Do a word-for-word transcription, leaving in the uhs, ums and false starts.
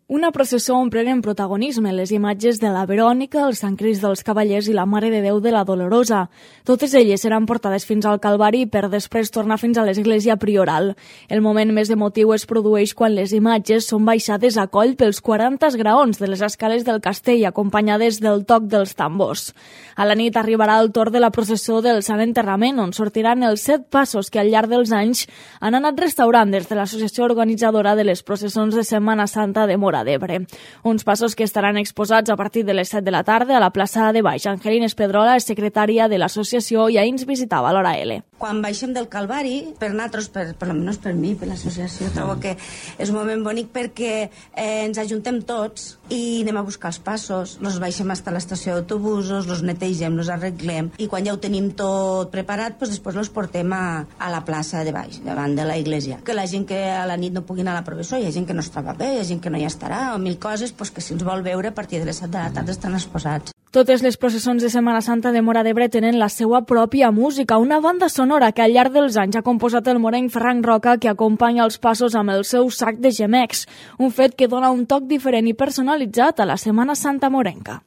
Una processó on prenen protagonisme les imatges de la Verònica, el Sant Crist dels Cavallers i la Mare de Déu de la Dolorosa. Totes elles seran portades fins al Calvari per després tornar fins a l'església prioral. El moment més emotiu es produeix quan les imatges són baixades a coll pels quaranta graons de les escales del castell, acompanyades del toc dels tambors. A la nit arribarà el torn de la processó del Sant Enterrament, on sortiran els set passos que al llarg dels anys han anat restaurant des de l'associació organitzadora de les processons de Setmana Santa de Móra d'Ebre. Uns passos que estaran exposats a partir de les set de la tarda a la plaça de Baix. Angelines Pedrola és secretària de l'associació i ahir ens visitava a l'Hora L. Quan baixem del Calvari, per nosaltres, per, per almenys per mi, per l'associació, trobo que és un moment bonic perquè eh, ens ajuntem tots i anem a buscar els passos, els baixem fins a l'estació d'autobusos, els netegem, els arreglem i quan ja ho tenim tot preparat, doncs després els portem a, a la plaça de Baix, davant de la iglesia. Que la gent que a la nit no pugui anar a la processó, hi ha gent que no es troba bé, hi ha gent que no hi estarà, o mil coses doncs, que si els vol veure a partir de les set de la tarda estan exposats. Totes les processons de Setmana Santa de Móra d'Ebre tenen la seva pròpia música, una banda sonora que al llarg dels anys ha composat el morenc Ferran Roca, que acompanya els passos amb el seu sac de gemecs, un fet que dona un toc diferent i personalitzat a la Setmana Santa morenca.